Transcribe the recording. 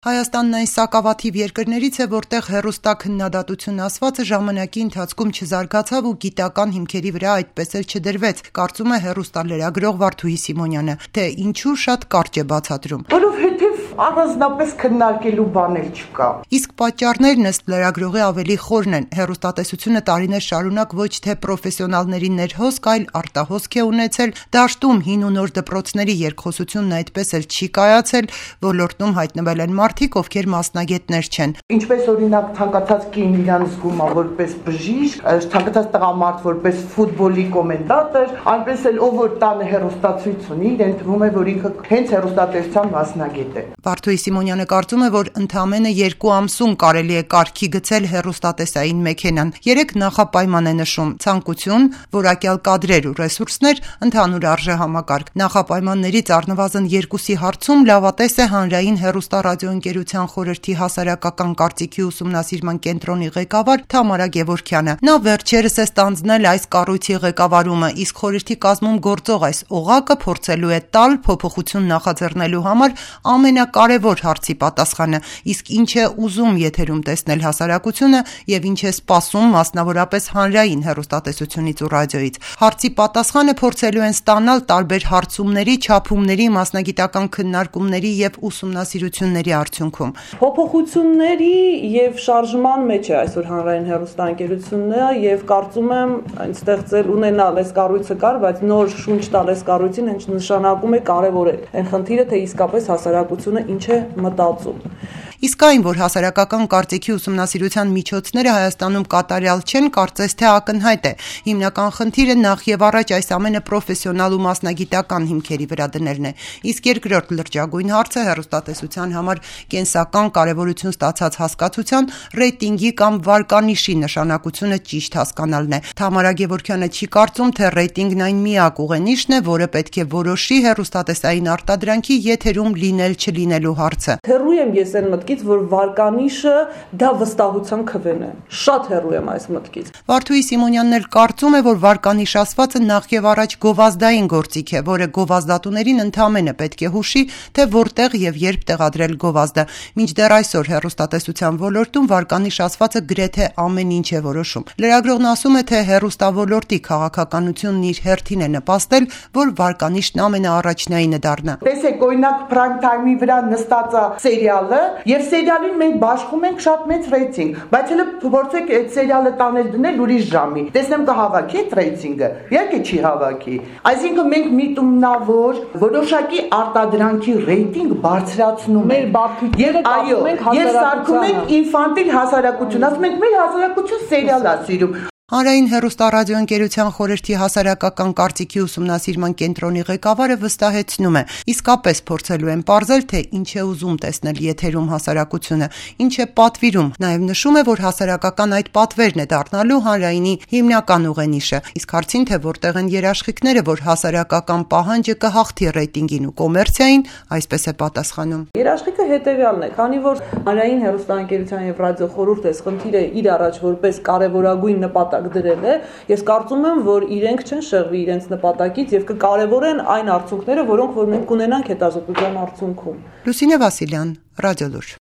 Հայաստանն այն սակավաթիվ երկրներից է, որտեղ հեռուստաքննադատություն ասվածը ժամանակի ընթացքում չզարգացավ ու գիտական հիմքերի վրա այդպես էլ չդրվեց, կարծում է հեռուստալրագրող Վարդուհի Սիմոնյանը, թե ինչու շատ կարճ է բացատրում. Որովհետև առանձնապես քննարկելու բան էլ չկա։ Իսկ պատճառներն ըստ լրագրողի ավելի խորն են. հեռուստատեսությունը տարիներ շարունակ ոչ թե պրոֆեսիոնալների ներհոսք, այլ արտահոսք է ունեցել, դաշտում հին ու նոր դպրոցների երկխոսությունն այդպես էլ չի կայացել, ոլորտում հայտնվել են մարդիկ, ովքեր մասնագետներ չեն։ Ինչպես օրինակ ցանկացած կին իրան զգում է որպես բժիշկ, ցանկացած տղամարդ որպես ֆուտբոլի կոմենտատոր, այնպես էլ ով որ տանը հեռուստացույց ունի, իրեն թվում է, որ ինքը հենց հեռուստատեսության մասնագետ է։ Վարդուհի Սիմոնյանը կարծում է, որ ընդամենը 2 ամսում կարելի է կարգի գցել հեռուստատեսային մեքենան։ 3 նախապայման է նշում՝ ցանկություն, որակյալ կադրեր ու ռեսուրսներ, ընդհանուր արժեհամակարգ։ Նախապայմաններից առնվազն 2-ի հարցում լավատես է Հանրային հեռուստառադիոընկերության խորհրդի հասարակական կարծիքի ուսումնասիրման կենտրոնի ղեկավար Թամարա Գևորգյանը։ Նա վերջերս է ստանձնել այս կառույցի ղեկավարումը, իսկ խորհրդի կազմում գործող այս օղակը փորձելու է տալ փոփոխություն նախաձեռնելու համար ամենակարևոր հարցի պատասխանը, իսկ ինչ է ուզում եթերում տեսնել հասարակությունը եւ ինչ է սպասում մասնավորապես հանրային հեռուստատեսությունից ու ռադիոյից։ Հարցի պատասխանը փորձելու են ստանալ տարբեր հարցումների, չափումների, մասնագիտական քննարկումների եւ ուսումնասիրությունների արդյունքում։ Փոփոխությունների եւ շարժման մեջ է այսօր հանրային հեռուստաընկերությունը եւ կարծում եմ այն ստեղծել ունենալ այս կառույցը կար, բայց նոր շունչ տալ այս կառույցին հենց նշանակում է կարևորել այն խնդիրը, թե իսկապես հասարակությունը ինչ է մտածում։ Իսկ այն, որ հասարակական կարծիքի ուսումնասիրության միջոցները Հայաստանում կատարյալ չեն, կարծես թե ակնհայտ է։ Հիմնական խնդիրը նախ եւ առաջ այս ամենը պրոֆեսիոնալ ու մասնագիտական հիմքերի վրա դնելն է։ Իսկ երկրորդ լրջագույն հարցը հեռուստատեսության համար կենսական կարևորություն ստացած հասկացության ռեյտինգի կամ վարկանիշի նշանակությունը ճիշտ հասկանալն է։ Թամարա Գևորգյանը չի կարծում, թե ռեյտինգն այն միակ ուղենիշն է, որը պետք է որոշի հեռուստատեսային արտադրանքի եթերում լինել-չլինելու հարցը։ Հեռու եմ ես այն մտքից, որ վարկանիշը դա վստահության քվեն է։ Շատ հեռու եմ այս մտքից։ Վարդուհի Սիմոնյանն էլ կարծում է, որ վարկանիշ ասվածը նախ եւ առաջ գովազդային գործիք է, որը գովազդատուներին ընդամենը պետք է հուշի, թե որտեղ եւ երբ տեղադրել գովազդը։ Մինչդեռ այսօր հեռուստատեսության ոլորտում վարկանիշ ասվածը գրեթե ամեն ինչ է որոշում։ Լրագրողն ասում է, թե հեռուստավորլորտի քաղաքականությունն իր հերթին է նպաստել, որ վարկանիշն ամենաառաջնայինը դառնա։ Տեսեք, օրինակ prime time-ի վրա նստած է սերիալը, եւ սերիալին մենք բաշխում ենք շատ մեծ ռեյտինգ, բայց հələ փորձեք այդ սերիալը տանել դնել ուրիշ ժամի։ Տեսնեմ կհավաքի այդ ռեյտինգը։ Իհարկե չի հավաքի։ Այսինքն մենք միտումնավոր որոշակի արտադրանքի ռեյտինգ բարձրացնում մեր բարդությունները կապում ենք հասարակությանը։ Ես սարքում ենք ինֆանտիլ հասարակություն, ասում ենք մեր հասարակություն սերիալ է սիրում։ Հանրային հեռուստառադիոընկերության խորհրդի հասարակական կարծիքի ուսումնասիրման կենտրոնի ղեկավարը վստահեցնում է, իսկապես փորձելու են պարզել, թե ինչ է ուզում տեսնել եթերում հասարակությունը, ինչ է պատվիրում, նաև նշում է, որ հասարակական այդ պատվերն է դառնալու հանրայինի հիմնական ուղենիշը, իսկ հարցին, թե որտեղ են երաշխիքները, որ հասարակական պահանջը կհաղթի ռեյտինգին ու կոմերցիային, այսպես է պատասխանում։ Երաշխիքը հետևյալն է, քանի որ հանրային հեռուստաընկերության եւ ռադիոխորհուրդը այս խնդիրը իր առաջ որպես կարևորագույն նպատակ դրել է, ես կարծում եմ, որ իրենք չեն շեղվի իրենց նպատակից եւ կկարևորեն այն արդյունքները, որոնք որ մենք կունենանք հետազոտության արդյունքում։ Լուսինե Վասիլյան, Ռադիոլուր։